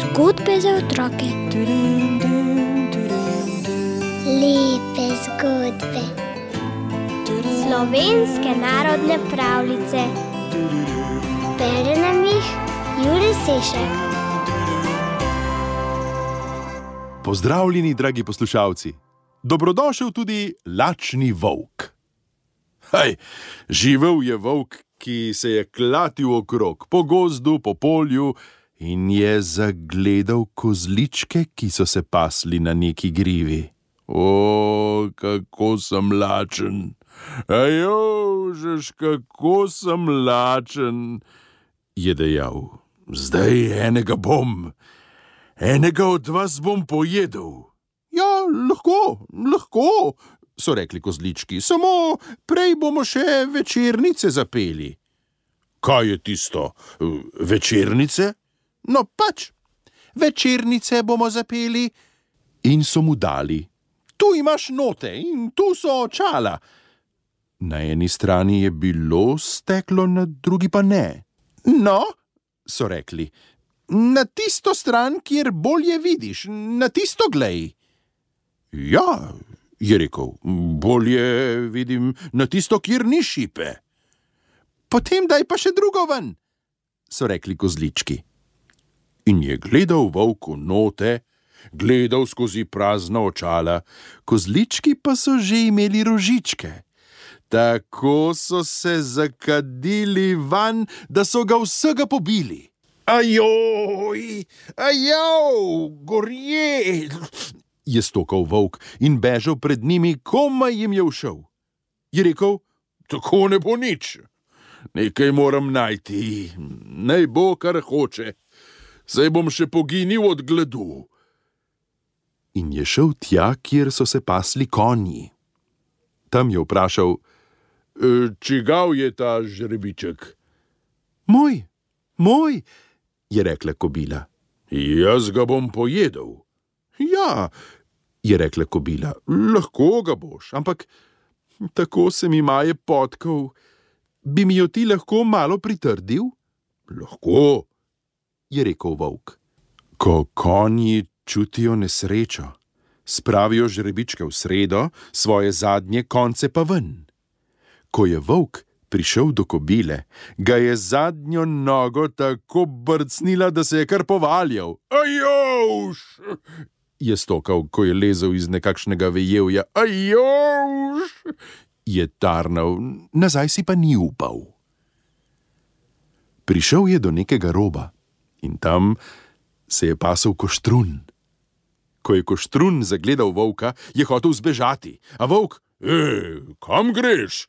Zgodbe za otroke. Lepe zgodbe. Slovenske narodne pravljice. Bere nam jih Jure Sešek. Pozdravljeni, dragi poslušalci. Dobrodošel tudi lačni volk. Živel je volk, ki se je klatil okrog, po gozdu, po polju in je zagledal kozličke, ki so se pasli na neki grivi. O, kako sem lačen! Ajožeš, kako sem lačen! Je dejal. Zdaj enega bom. Enega od vas bom pojedel. Ja, lahko, so rekli kozlički, samo prej bomo še večernice zapeli. Kaj je tisto? Večernice? No pač, večernice bomo zapeli. In so mu dali. Tu imaš note in tu so očala. Na eni strani je bilo steklo, na drugi pa ne. No, so rekli, na tisto stran, kjer bolje vidiš, na tisto glej. Ja, je rekel, bolje vidim na tisto, kjer ni šipe. Potem daj pa še drugo ven, so rekli kozlički. In je gledal volk v note, gledal skozi prazna očala, kozlički pa so že imeli rožičke. Tako so se zakadili van, da so ga vsega pobili. Ajoj, gorje, je stokal volk in bežal pred njimi, komaj jim je ušel. Je rekel, tako ne bo nič. Nekaj moram najti, naj bo, kar hoče. Saj bom še poginil od gladu. In je šel tja, kjer so se pasli konji. Tam je vprašal, čigav je ta žrebiček? Moj, je rekla kobila. Jaz ga bom pojedel. Ja, je rekla kobila, lahko ga boš, ampak tako se mi maje potkov. Bi mi jo ti lahko malo pritrdil? Lahko, je rekel volk. Ko konji čutijo nesrečo, spravijo žrebičke v sredo, svoje zadnje konce pa ven. Ko je volk prišel do kobile, ga je zadnjo nogo tako brcnila, da se je kar povaljal. Ajovš! Je stokal, ko je lezel iz nekakšnega vejevja. Ajovš! Je tarnal, nazaj si pa ni upal. Prišel je do nekega roba in tam se je pasel koštrun. Ko je koštrun zagledal volka, je hotel zbežati. A volk, kam greš?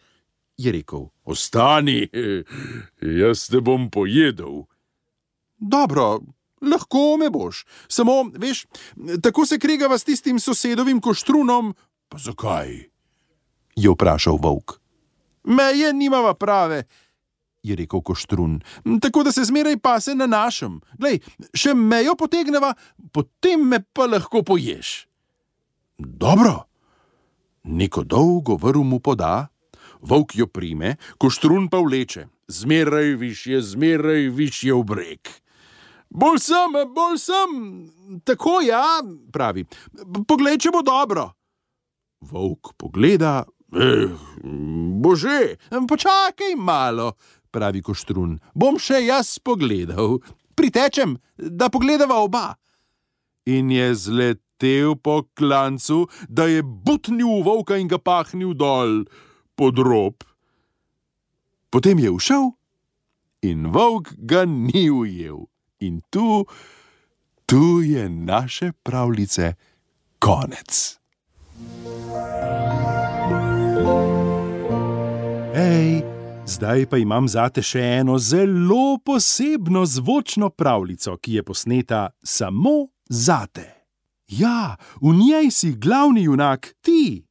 Je rekel, ostani, jaz te bom pojedel. Dobro, lahko me boš, samo, veš, tako se kregava s tistim sosedovim koštrunom. Pa zakaj? Je vprašal volk. Meje nimava prave, je rekel koštrun, tako da se zmeraj pase na našem. Glej, še mejo potegneva, potem me pa lahko poješ. Dobro. Neko dolgo vrv mu poda, volk jo prime, koštrun pa vleče. Zmeraj višje v breg. Bolj sem, tako ja, pravi. Poglej, če bo dobro. Volk pogleda, bože, počakaj malo, pravi koštrun. Bom še jaz pogledal. Pritečem, da pogledava oba. In je zletel po klancu, da je butnil v volka in ga pahnil dol pod rob. Potem je ušel in volk ga ni ujel. In tu je naše pravljice konec. Zdaj pa imam zate še eno zelo posebno zvočno pravljico, ki je posneta samo zate. Ja, v njej si glavni junak ti.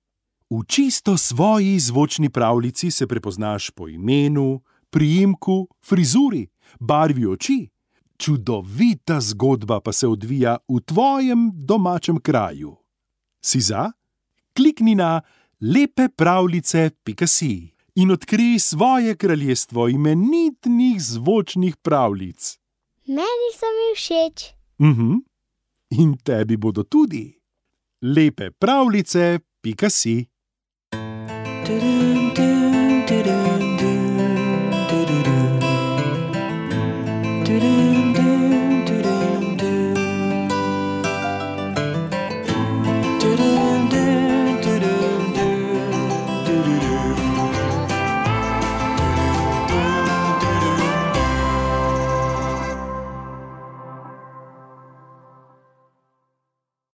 V čisto svoji zvočni pravljici se prepoznaš po imenu, priimku, frizuri, barvi oči. Čudovita zgodba pa se odvija v tvojem domačem kraju. Si za? Klikni na lepepravljice.si in odkrij svoje kraljestvo imenitnih zvočnih pravljic. Meni so mi všeč. In tebi bodo tudi. Lepe pravljice.si